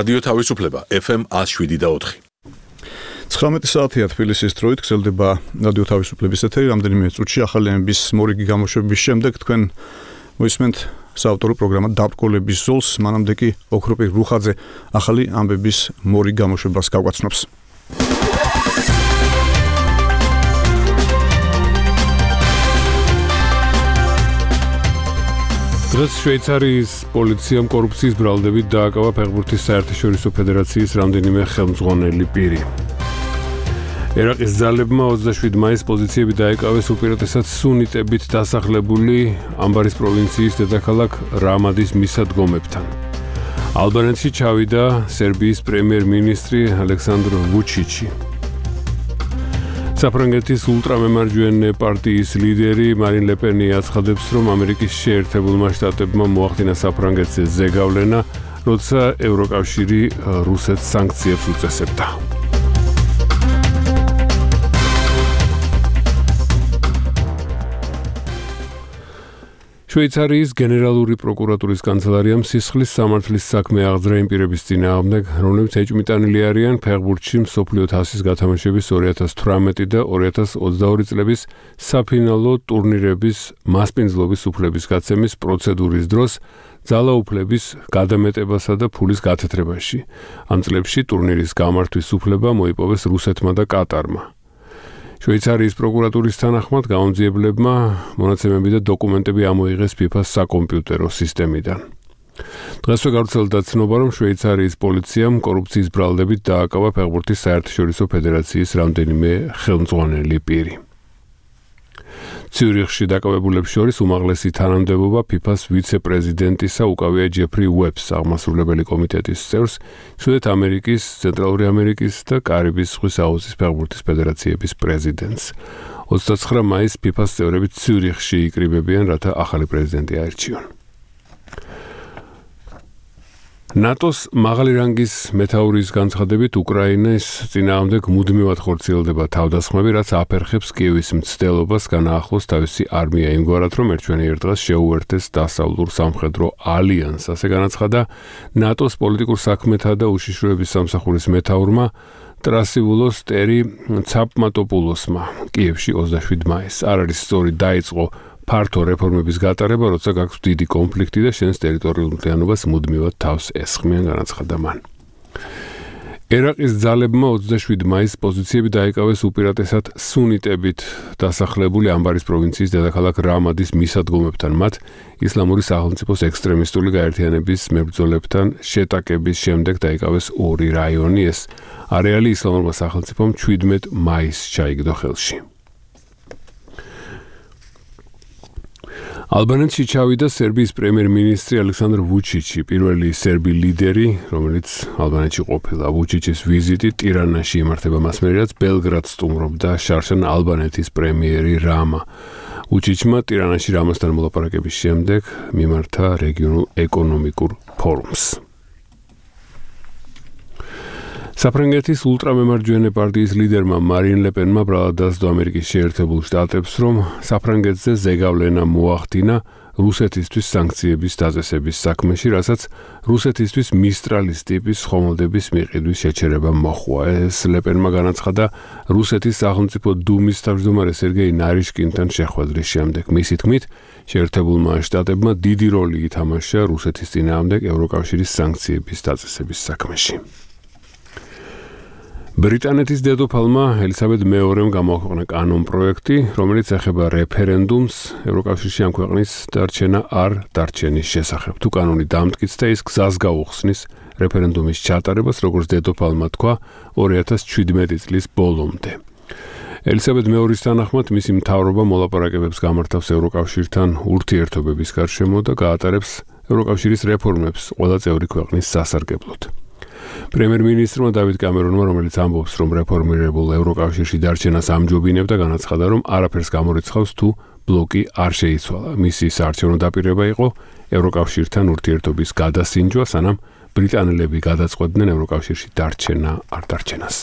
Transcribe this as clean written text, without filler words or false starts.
რადიო თავისუფლება FM 107.4. 19 საათია თბილისის დროით გრძელდება რადიო თავისუფლების ეთერი. რამდენიმე წუთში ახალი ამბის მორიგი გამოშვების შემდეგ თქვენ მოისმენთ საავტორო პროგრამა დაბრკოლების ზოლს, მანამდე კი ოქროპი რუხაძე ახალი ამბების მორიგ გამოშვებას გავგაცნობს. დღეს შვეიცარიის პოლიციამ კორუფციის ბრალდებით დააკავა ფეხბურთის საერთაშორისო ფედერაციის რამდენიმე ხელმძღვანელი პირი. ერაყის ძალებმა 27 მაისს პოზიციები დაეკავეს უპირატესად სუნიტებით დასახლებული ამბარის პროვინციის დედაქალაქ რამადის მისადგომებთან. ალბანეთში ჩავიდა სერბიის პრემიერ-მინისტრი ალექსანდრ ვუჩიჩი. საფრანგეთის ულტრამემარჯვენე პარტიის ლიდერი მარინ ლე პენი აცხადებს, რომ ამერიკის შეერთებულმა შტატებმა მოახდინა საფრანგეთზე ზეგავლენა, როცა ევროკავშირი რუსეთს სანქციებს უწესებდა. შვეიცარიის გენერალური პროკურატურის კანცელარიამ სისხლის სამართლის საქმე აღძრა იმ პირების წინააღმდეგ, რომლებიც ეჭვმიტანილი არიან ფეხბურთში მსოფლიო თასის გათამაშების 2018 და 2022 წლების საფინალო ტურნირების მასპინძლობის უფლების გაცემის პროცედურის დროს ძალაუფლების გადამეტებასა და ფულის გათეთრებაში. ამ წლებში ტურნირის გამართვის უფლება მოიპოვეს რუსეთმა და კატარმა. შვეიცარიის პროკურატურის თანახმად გამომძიებლებმა მონაცემები და დოკუმენტები ამოიღეს FIFA-ს საკომპიუტერო სისტემიდან. დღესვე გავრცელდა ცნობა, რომ შვეიცარიის პოლიციამ კორუფციის ბრალდებით დააკავა ფეხბურთის საერთაშორისო ფედერაციის რამდენიმე ხელმძღვანელი პირი. ციურიხში დაკავებულებს შორის უმაღლესი თანამდებობა FIFA-ს ვიცე-პრეზიდენტისა უკავია ჯეფრი უებს, აღმასრულებელი კომიტეტის წევრს, ჩრდილოეთ ამერიკის, ცენტრალური ამერიკის და კარიბის ზღვის აუზის ფეხბურთის ფედერაციების პრეზიდენტს. 29 მაისს FIFA-ს წევრები ციურიხში იკრიბებიან, რათა ახალი პრეზიდენტი აირჩიონ. ნატოს მაღალი რანგის მეთაურის განცხადებით უკრაინის წინააღმდეგ მუდმივად ხორციელდება თავდასხმები, რაც აფერხებს კიევის მცდელობას განაახლოს თავისი არმია იმგვარად, რომ ერთვენიერ დღეს შეუერთდეს დასავლურ სამხედრო ალიანსს. ასე განაცხადა ნატოს პოლიტიკურ საქმეთა და უშიშროების სამსახურის მეთაურმა ტრასივულოს ტერი ცაპმატოპულოსმა კიევში 27 მაისს. არ არის სწორი დაიწყო ფართო რეფორმების გატარება, როცა გაქვს დიდი კონფლიქტი და შენს ტერიტორიულ მთლიანობას მუდმივად თავს ესხმიან, განაცხადა მან. ერაყის ძალებმა 27 მაისს პოზიციები დაიკავეს უპირატესად სუნიტებით დასახლებული ამბარის პროვინციის დედაქალაქ რამადის მისადგომებთან, მათ ისლამური სახელმწიფოს ექსტრემისტული გაერთიანების მებრძოლებთან შეტაკების შემდეგ დაიკავეს ორი რაიონი. ეს არეალი ისლამურმა სახელმწიფომ 17 მაისს ჩაიგდო ხელში. ალბანეთში ჩავიდა სერბიის პრემიერ-მინისტრი ალექსანდრ ვუჩიჩი, პირველი სერბი ლიდერი, რომელიც ალბანეთში ყოფილა. ვუჩიჩის ვიზიტი ტირანაში იმართება მასმერე, რაც ბელგრადს სტუმრობდა შარშან ალბანეთის პრემიერი რამა. ვუჩიჩმა ტირანაში რამასთან მოლაპარაკების შემდეგ მიმართა რეგიონულ ეკონომიკურ ფორუმს. საფრანგეთის ულტრამემარჯვენე პარტიის ლიდერმა მარინ ლე პენმა ბრალად დასდო ამერიკის შეერთებულ შტატებს, რომ საფრანგეთზე ზეგავლენა მოახდინა რუსეთისთვის სანქციების დაწესების საქმეში, რასაც რუსეთისთვის მისტრალის ტიპის ხომალდების მიყიდვის შეჩერება მოჰყვა. ეს ლე პენმა განაცხადა რუსეთის სახელმწიფო დუმის თავმჯდომარე სერგეი ნარიშკინთან შეხვედრის შემდეგ. მისი თქმით, შეერთებულმა შტატებმა დიდი როლი ითამაშა რუსეთის წინააღმდეგ ევროკავშირის სანქციების დაწესების საქმეში. ბრიტანეთის დედოფალმა ელისაბედ მეორემ გამოაქვეყნა კანონ-პროექტი, რომელიც ეხება რეფერენდუმს ევროკავშირში ამ ქვეყნის დარჩენა არ დარჩენის შესახებ. თუ კანონი დამტკიცდა, ის გზას გაუხსნის რეფერენდუმის ჩატარებას, როგორც დედოფალმა თქვა 2017 წლის ბოლომდე. ელისაბედ მეორის თანახმად, მისი მთავრობა მოლაპარაკებებს გამართავს ევროკავშირთან ურთიერთობების გარშემო და გაატარებს ევროკავშირის რეფორმებს ყველა წევრი ქვეყნის სასარგებლოდ. პრემიერ-მინისტრმა დავიდ კამერონმა, რომელიც ამბობს, რომ რეფორმირებულ ევროკავშირში დარჩენას ამჯობინებდა, განაცხადა, რომ არაფერს გამორიცხავს თუ ბლოკი არ შეიცვალა. მისი საარჩევნო დაპირება იყო ევროკავშირთან ურთიერთობის გადასინჯვა, სანამ ბრიტანელები გადაწყვეტდნენ ევროკავშირში დარჩენა არ დარჩენას.